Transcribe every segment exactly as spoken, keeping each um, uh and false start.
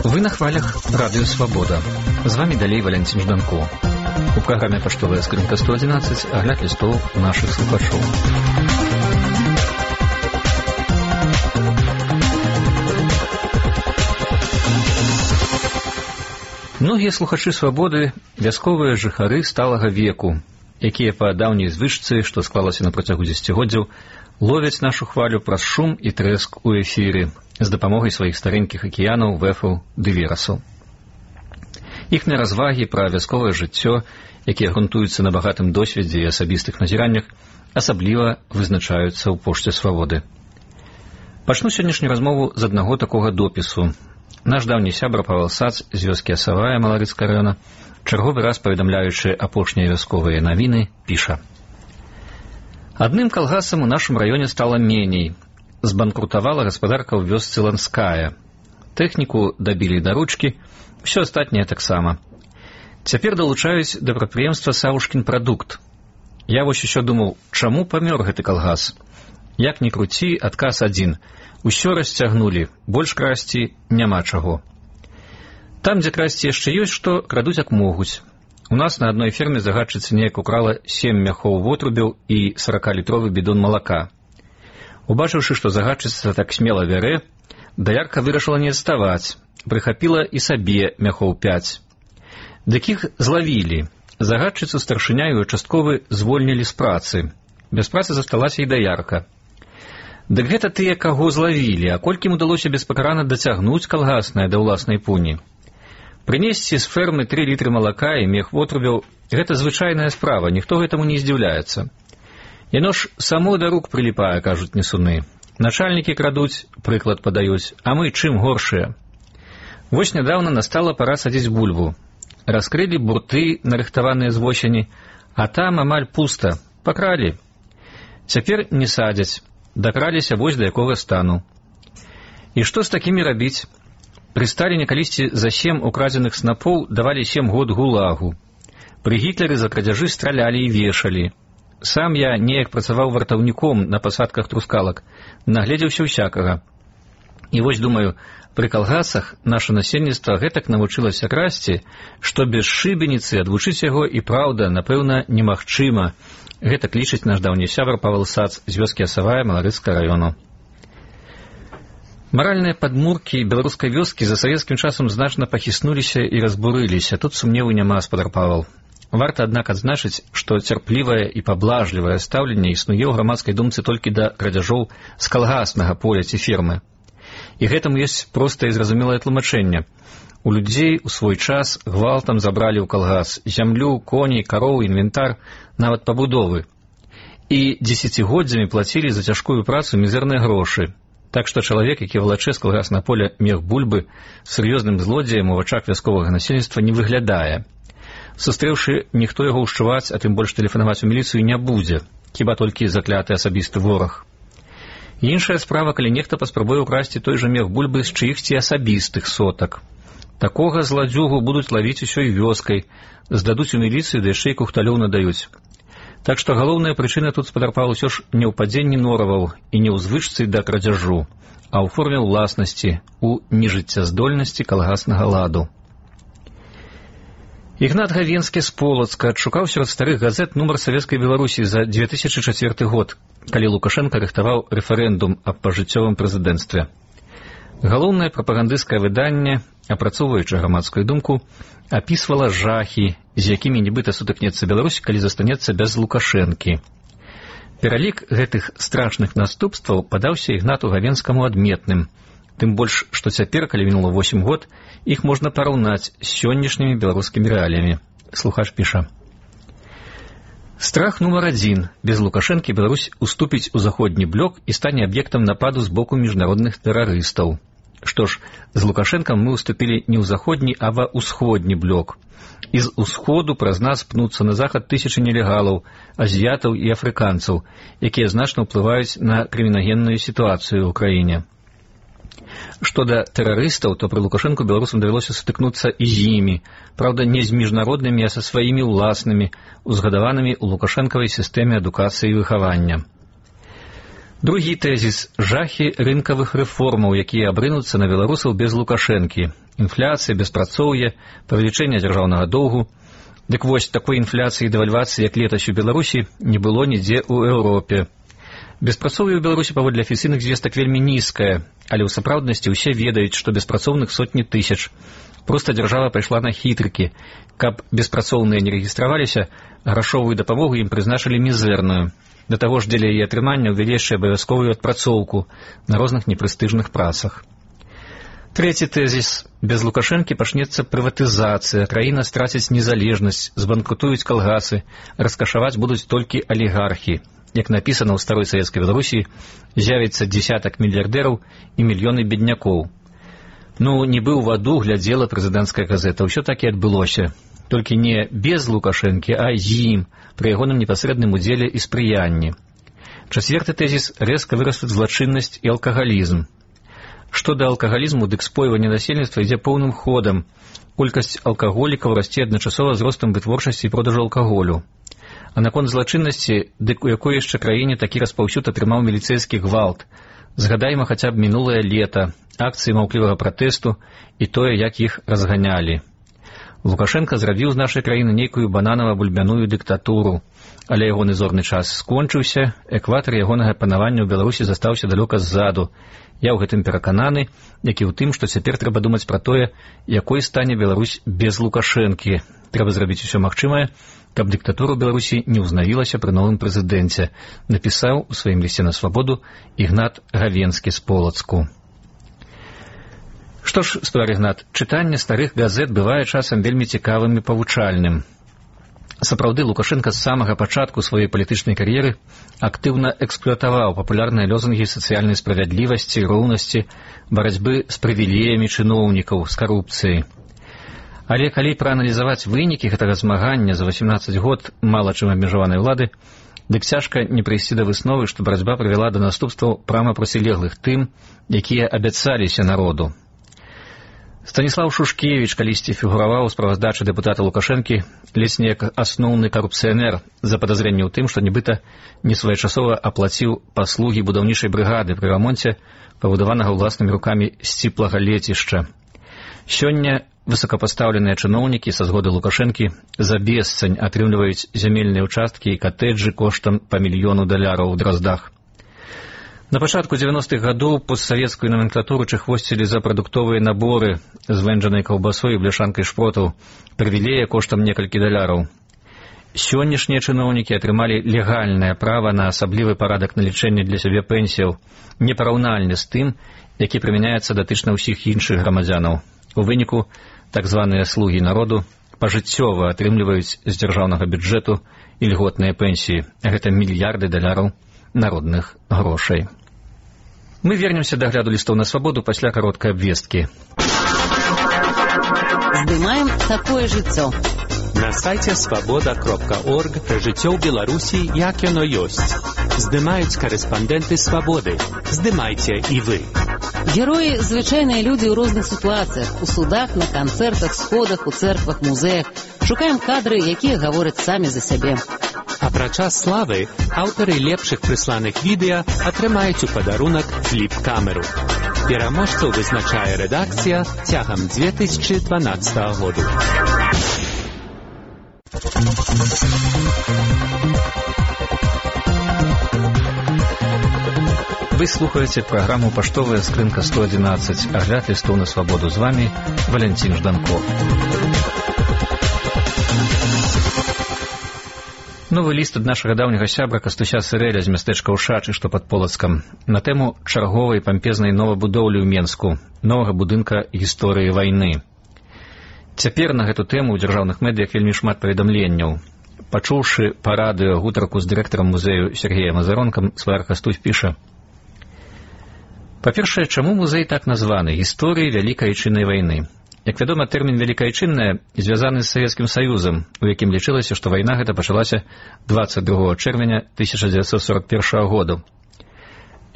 Вы на хвалях Радио Свобода. З вами далей Валентин Жданко. У праграме «Паштовая скрынка сто одиннадцать» агляд лістоў нашых слухачоў. Многія слухачы «Свабоды» – вясковыя жыхары сталага веку, якія па даўняй звычцы, што склалася на працягу дзесяцігоддзяў, ловяць нашу хвалю праз шум і трэск у эфіры з дапамогай сваіх старэнькіх акіянаў, вэфаў ды верасаў. Іхныя развагі пра вясковае жыццё, якія грунтуюцца на багатым досведзе і асабістых назіраннях, асабліва вызначаюцца ў пошце «Свабоды». Пачну сённяшнюю размову з аднаго такога допісу. Наш даўні сябра Павел Сац з вёскі Асавая Маларыцкага раёна, чарговы раз паведамляючы апошнія вясковыя навіны, піша: «Адным калгасам у нашым раёне стала меней. Збанкрутавала гаспадарка ў вёсцы Ланская. Тэхніку дабілі да ручкі, ўсё астатняе таксама. Цяпер далучаюць да прадпрыемства Савушкін прадукт. Я вось усё думаў, чаму памёр гэты калгас? Як ні круці, адказ адзін. Усё расцягнулі, больш красці няма чаго. Там, дзе красці яшчэ ёсць што, крадуць як могуць. У нас на адной ферме загадчыца неяк украла сем мяхоў вотрубяў і саракалітровы бидон малака. Убачыўшы, што загадчыца так смела вярэ, даярка вырашыла не адставаць, прыхапіла і сабе мяхоў пяць. Дык іх злавілі. Загадчыцу старшыня і участковы звольнілі з працы. Без працы засталася і даярка. Дык гэта тыя, каго злавілі, а колькі ім удалося беспакарана дацягнуць калгаснае да ўласнай пуні. Прынесці з фермы тры літры малака і мех вотрубяў – гэта звычайная справа, ніхто гэтаму не здзіўляецца. Яно ж само да рук прыліпае, кажуць несуны. Начальнікі крадуць, прыклад падаюць, а мы чым горшыя. Вось нядаўна настала пара садзіць бульбу. Раскрылі бурты, нарыхтаваныя з восені, а там амаль пуста, пакралі. Цяпер не садзяць, дакраліся вось да якога стану. І што з такімі рабіць? Пры Сталіне калісьці за сем украдзеных снапоў давалі сем год гулагу. Пры Гітлеры за крадзяжы стралялі і вешалі. Сам я неяк працаваў вартаўніком на пасадках трускалак, нагледзеўся ўсякага. І вось думаю, пры калгасах наша насельніцтва гэтак навучылася красці, што без шыбеніцы адвучыць яго і праўда, напэўна, немагчыма. Гэта лічыць наш даўні сябар Павел Сац з вёскі Асавая Маларыцкага раёну. Маральныя падмуркі беларускай вёскі за савецкім часам значна пахіснуліся і разбурыліся. Тут сумневу няма, спадар Павел. Варта, аднак, адзначыць, што цярплівае і паблажлівае стаўленне існуе ў грамадскай думцы толькі да крадзяжоў з калгаснага поля ці фермы. І гэтаму ёсць простае і зразумелае тлумачэнне. У людзей у свой час гвалтам забралі ў калгас зямлю, коней, кароў, інвентар, нават пабудовы. І дзесяцігоддзямі плацілі за цяжкую працу мізэрныя грошы. Так што чалавек, які валачэ з калгасна поля мех бульбы, сур'ёзным злодзеем у вачах вясковага насельніцтва не выглядае. Сустрэўшы, ніхто яго ўшчуваць, а тым больш тэлефанаваць у міліцыю не будзе, хіба толькі закляты асабісты вораг. Іншая справа, калі нехта паспрабуе ўкрасці той жа мех бульбы з чыихці асабістых сотак. Такога зладзюгу будуць лавіць усёй вёскай, здадуць у міліцыю, да яшчэ і кухталёў надаюць. Так што галоўная прычына тут, спадар Павел, усё ж не ў падзенні нораваў і не ў звычцы да крадзяжу, а ў форме ўласнасці, у нежыццяздольнасці калгаснага ладу. Ігнат Гавенскі з Полацка адшукаў сярод старых газет нумар Савецкай Беларусі за дзве тысячы чацвёрты год, калі Лукашенка рыхтаваў рэферэндум аб пажыццёвым прэзідэнцтве. Галоўнае прапагандысцкае выданне, апрацоўваючы грамадскую думку, апісвала жахі, з якімі нібыта сутыкнецца Беларусь, калі застанецца без Лукашэнкі. Пералік гэтых страшных наступстваў падаўся Ігнату Гавенскаму адметным, тым больш, што цяпер, калі мінула восем год, іх можна параўнаць з сённяшнімі беларускімі рэаліямі. Слухач піша: «Страх нумар адзін. Без Лукашэнкі Беларусь уступіць у заходні блок і стане аб'ектам нападу з боку міжнародных тэрарыстаў. Што ж, з Лукашэнкам мы уступілі не ў заходні, а ва ўсходні блок. І з усходу праз нас пнуцца на захад тысячы нелегалаў, азіятаў і афрыканцаў, якія значна ўплываюць на крымінагенную сітуацыю ў краіне. Што да тэрарыстаў, то пры Лукашэнку беларусам давялося сутыкнуцца і з імі, праўда, не з міжнароднымі, а са сваімі ўласнымі, узгадаванымі ў лукашэнкавай сістэме адукацыі і выхавання. Другі тэзіс – жахі рынкавых рэформаў, якія абрынуцца на беларусаў без Лукашэнкі. Інфляцыя, беспрацоўе, павелічэнне дзяржаўнага доўгу. Дык вось, такой інфляцыі і дэвальвацыі, як летась у Беларусі, не было нідзе ў Еўропе. Беспрацоўе ў Беларусі паводле афіцыйных звестак вельмі нізкае, але ў сапраўднасці ўсе ведаюць, што беспрацоўных сотні тысяч. Проста дзяржава пайшла на хітрыкі. Каб беспрацоўныя не рэгістраваліся, грашовую дапамогу ім прызначылі мізэрную. Да таго ж дзеля яе атрымання ўвялі яшчэ абавязковую адпрацоўку на розных непрэстыжных працах. Трэці тэзіс. Без Лукашэнкі пачнецца прыватызацыя, краіна страціць незалежнасць, збанкрутуюць калгасы, раскашаваць будуць толькі алігархі. Як напісана ў старой савецкай Беларусі, з'явіцца дзесятак мільярдэраў і мільёны беднякоў. Ну, нібы ў ваду глядзела прэзідэнцкая газета, ўсё так і адбылося. Толькі не без Лукашэнкі, а з ім, пры ягоным непасрэдным удзеле і спрыянні. Чацверты тэзіс – рэзка вырастуць злачыннасць і алкагалізм. Што да алкагалізму, дык спойванне насельніцтва ідзе поўным ходам. Колькасць алкаголікаў расце адначасова з ростам вытворчасці і продажу алкаголю. А наконт злачыннасці, дык у якой яшчэ краіне такі распаўсюд атрымаў міліцэйскі гвалт. Згадайма хаця б мінулае лета, акцыі маўклівага пратэсту і тое, як іх разганялі. Лукашенко зрабіў з нашай краіны нейкую бананава-бульбяную дыктатуру, але ягоны зорны час скончыўся, экватар ягонага панавання ў Беларусі застаўся далёка ззаду. Я ў гэтым перакананы, як і ў тым, што цяпер трэба думаць пра тое, якой стане Беларусь без Лукашэнкі. Трэба зрабіць усё магчымае, каб дыктатура ў Беларусі не ўзнавілася пры новым прэзідэнце, напісаў у сваім лісце на свабоду Ігнат Гавенскі з Полацку. Што ж, спадар Ігнат, чытанне старых газет бывае часам вельмі цікавым і павучальным. Сапраўды, Лукашенка з самага пачатку сваёй палітычнай кар'еры актыўна эксплуатаваў папулярныя лозунгі сацыяльнай справядлівасці, роўнасці, барацьбы з прывілеямі чыноўнікаў, з карупцыяй. Але калі прааналізаваць вынікі гэтага змагання за васемнаццаць год мала чым абмежаванай улады, дык цяжка не прыйсці да высновы, што барацьба прывяла да наступстваў прама процілеглых тым, якія абяцаліся народу. Станіслаў Шушкевіч калісьці фігураваў у справаздачы дэпутата Лукашэнкі ледзь не як асноўны карупцыянер за падазрэнне ў тым, што нібыта несвоечасова аплаціў паслугі будаўнічай брыгады пры рамонце пабудаванага ўласнымі рукамі сціплага лецішча. Сёння высокапастаўленыя чыноўнікі са згоды Лукашэнкі за бесцань атрымліваюць зямельныя ўчасткі і катэджы коштам па мільёну даляраў у Драздах. На пачатку дзевяностых гадоў постсавецкую номенклатуру чахвосцілі за прадуктовыя наборы з вэнджанай каўбасой і бляшанкай шпротаў, прывілея коштам некалькі даляраў. Сённяшнія чыноўнікі атрымалі легальнае права на асаблівы парадак налічэння для сябе пенсіяў, непараўнальны з тым, які прымяняецца датычна ўсіх іншых грамадзянаў. У выніку так званыя слугі народу пажыццёва атрымліваюць з дзяржаўнага бюджэту ільготныя пенсіі. Гэта мільярды даляраў народных грошай. Мы вернемся да гляду лістоў на свабоду пасля кароткай абвесткі. Здымаем такое жыццё. На сайце свабода кропка орг пра жыццё ў Беларусі, як яно ёсць. Здымаюць карэспандэнты свабоды. Здымайце і вы. Героі – звычайныя людзі ў розных сітуацыях, у судах, на канцэртах, сходах, у цэрквах, музеях. Шукаем кадры, якія гавораць самі за сябе. Апрача славы, аўтары лепшых прысланых відэа атрымаюць у падарунак фліп-камеру. Пераможцаў вызначае рэдакцыя цягам дзве тысячы дванаццатага году. Вы слухаеце праграму «Паштовая скрынка сто адзінаццаць», агляд лістоў на свабоду. З вами Валянцін Жданков. Новы ліст ад нашага даўняга сябра Кастуся Сырэля з мястэчка Ушачы, што пад Полацкам, на тэму чарговай пампезнай новабудоўлі ў Менску, новага будынка гісторыі вайны. Цяпер на гэту тэму ў дзяржаўных медыях вельмі шмат паведамленняў. Пачуўшы па радыё гутарку з дырэктарам музею Сергеем Азаронкам, сваяр Кастусь піша: па-першае, чаму музей так названы «Гісторыі Вялікай Айчыннай вайны»? Як вядома, тэрмін «Вялікая Айчынная» звязаны з Савецкім Саюзам, у якім лічылася, што вайна гэта пачалася дваццаць другога чэрвеня тысяча дзевяцьсот сорок першага году.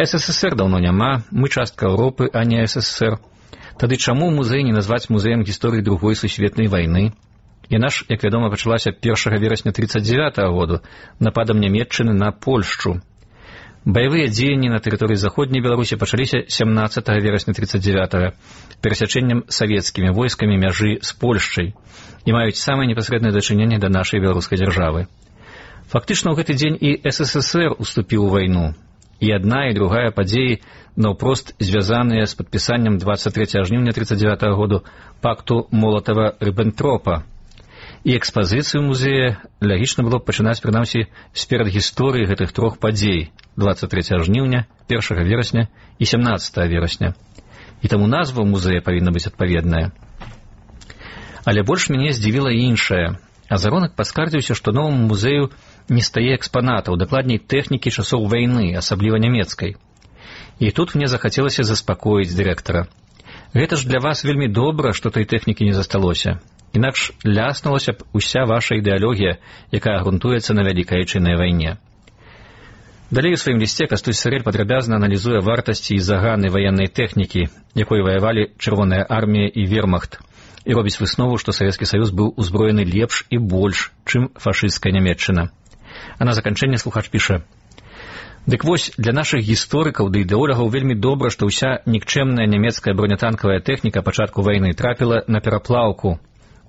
СССР даўно няма, мы частка Еўропы, а не СССР. Тады чаму музей не назваць музеем гісторыі другой сусветнай вайны? Яна ж, як вядома, пачалася першага верасня трыццаць дзявятага году нападам Нямецчыны на Польшчу. Баявыя дзеянні на тэрыторыі заходняй Беларусі пачаліся сямнаццатага верасня тридцать девятага перасячэннем савецкімі войскамі мяжы з Польшчай і маюць самае непасрэднае дачыненне да нашай беларускай дзяржавы. Фактычна ў гэты дзень і эс эс эс эр уступіў у вайну, і адна і другая падзеі наўпрост звязаныя з падпісаннем двадцать трэцяга жніўня тридцать девятага году пакту Молатава-Ріббентропа. І экспазіцыю музея лагічна было б пачынаць, прынамсі, з перадгісторыі гэтых трох падзей двадцать трэцяга жніўня, першага верасня і сямнаццатага верасня. І таму назва музея павінна быць адпаведная. Але больш мяне здзівіла іншае. Азаронак паскардзіўся, што новаму музею не стае экспанатаў, дакладней тэхнікі часоў вайны, асабліва нямецкай. І тут мне захацелася заспакоіць дырэктара. Гэта ж для вас вельмі добра, што той тэхнікі не засталося. Інакш ляснулася б уся ваша ідэалогія, якая грунтуецца на вялікай айчыннай вайне. Далей у сваім лісце Кастусь Сырэль падрабязна аналізуе вартасці і заганы ваеннай тэхнікі, якой ваявалі Чырвоная армія і вермахт, і робіць выснову, што Савецкі Саюз быў узброены лепш і больш, чым фашысцкая Нямецчына. А на заканчэнне слухач піша: «Дык вось, для нашых гісторыкаў ды ідэолагаў вельмі добра, што ўся нікчэмная нямецкая бронятанкавая тэхніка пачатку вайны трапіла на пераплаўку.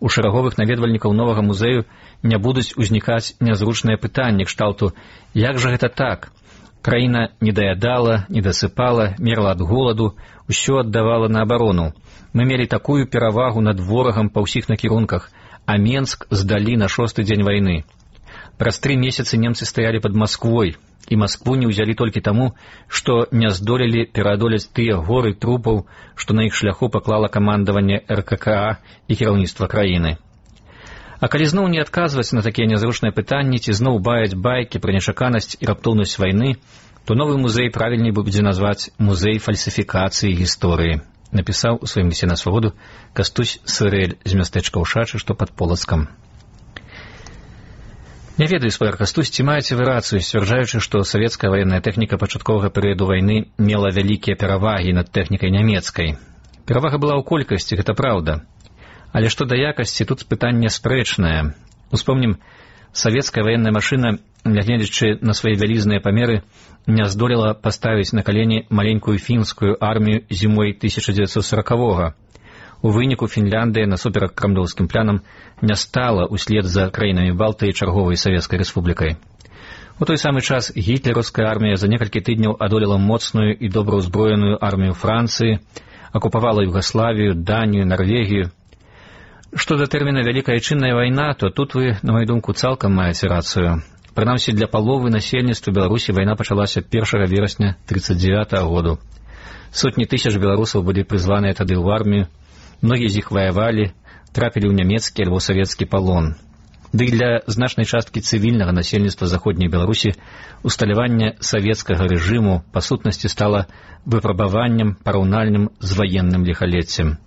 У шэраговых наведвальнікаў новага музею не будуць узнікаць нязручныя пытанні кшталту: як жа гэта так? Краіна не даядала, не дасыпала, мерла ад голаду, усё аддавала на абарону. Мы мелі такую перавагу над ворагам па ўсіх накірунках, а Менск здалі на шосты дзень вайны. Праз тры месяцы немцы стаялі пад Масквой, і Маскву не ўзялі толькі таму, што не здолелі пераадолець тыя горы трупаў, што на іх шляху паклала камандаванне эр ка ка а і кіраўніцтва краіны. А калі зноў не адказваць на такія нязручныя пытанні, ці зноў баяць байкі пра нечаканасць і раптоўнасць вайны, то новы музей правільней будзе назваць музей фальсіфікацыі гісторыі, напісаў у сваім лісце на свабоду Кастусь Сырэль з мястэчка Ушачы, што пад Полацкам. Не ведаю, спадар Кастусь, ці маеце вы рацыю, сцвярджаючы, што савецкая ваенная тэхніка пачатковага перыяду вайны мела вялікія перавагі над тэхнікай нямецкай. Перавага была ў колькасці, гэта праўда. Але што да якасці, тут пытанне спрэчнае. Успомнім, савецкая ваенная машына, нягледзячы на свае вялізныя памеры, не здолела паставіць на калені маленькую фінскую армію зімой тысяча дзевяцьсот сорокавога. У выніку Фінляндыя насуперак крамлёўскім планам не стала ўслед за краінамі Балтыі чарговай савецкай рэспублікай. У той самы час гітлераўская армія за некалькі тыдняў адолела моцную і добраўзброеную армію Францыі, акупавала Югаславію, Данію, Нарвегію. Што да тэрміна «Вялікая айчынная вайна», то тут вы, на маю думку, цалкам маеце рацыю. Прынамсі, для паловы насельніцтва Беларусі вайна пачалася першага верасня тридцать девятага году. Сотні тысяч беларусаў былі прызваныя тады ў армію, многія з іх ваявалі, трапілі ў нямецкі альбо савецкі палон. Ды для значнай часткі цывільнага насельніцтва заходняй Беларусі усталяванне савецкага рэжыму па сутнасці стала выпрабаваннем параўнальным з ваенным ліхалеццем.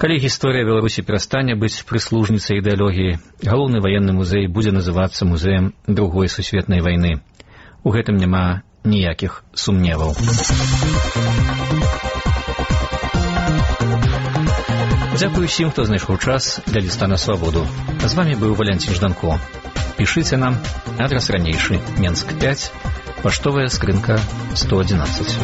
Калі гісторыя Беларусі перастане быць прыслужніцай ідэалогіі, галоўны ваенны музей будзе называцца музеем другой сусветнай вайны. У гэтым няма ніякіх сумневаў. Дзякую усім, хто знайшоў час для ліста на свабоду. З вамі быў Валянцін Жданко. Пішыце нам, адрас ранейшы, Менск пяць, паштовая скрынка сто адзінаццаць.